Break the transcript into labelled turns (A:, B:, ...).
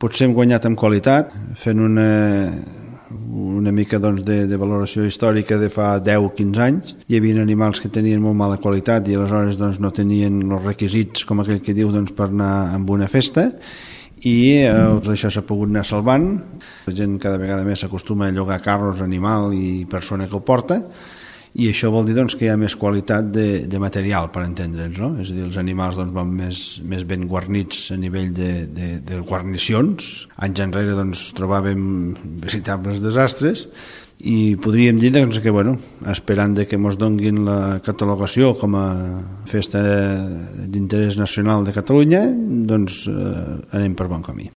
A: Potser hem guanyat en qualitat, fent una mica doncs, de valoració històrica de fa 10-15 anys. Hi havia animals que tenien molt mala qualitat i aleshores doncs, no tenien els requisits, com aquell que diu, doncs, per anar a una festa, i això s'ha pogut anar salvant. La gent cada vegada més s'acostuma a llogar carros, animal i persona que ho porta, i això vol dir doncs, que hi ha més qualitat de material, per entendre'ns, no? És a dir, els animals doncs, van més ben guarnits a nivell de guarnicions. Anys enrere doncs, trobàvem veritables desastres i podríem dir doncs, que, esperant que ens donguin la catalogació com a festa d'interès nacional de Catalunya, doncs anem per bon camí.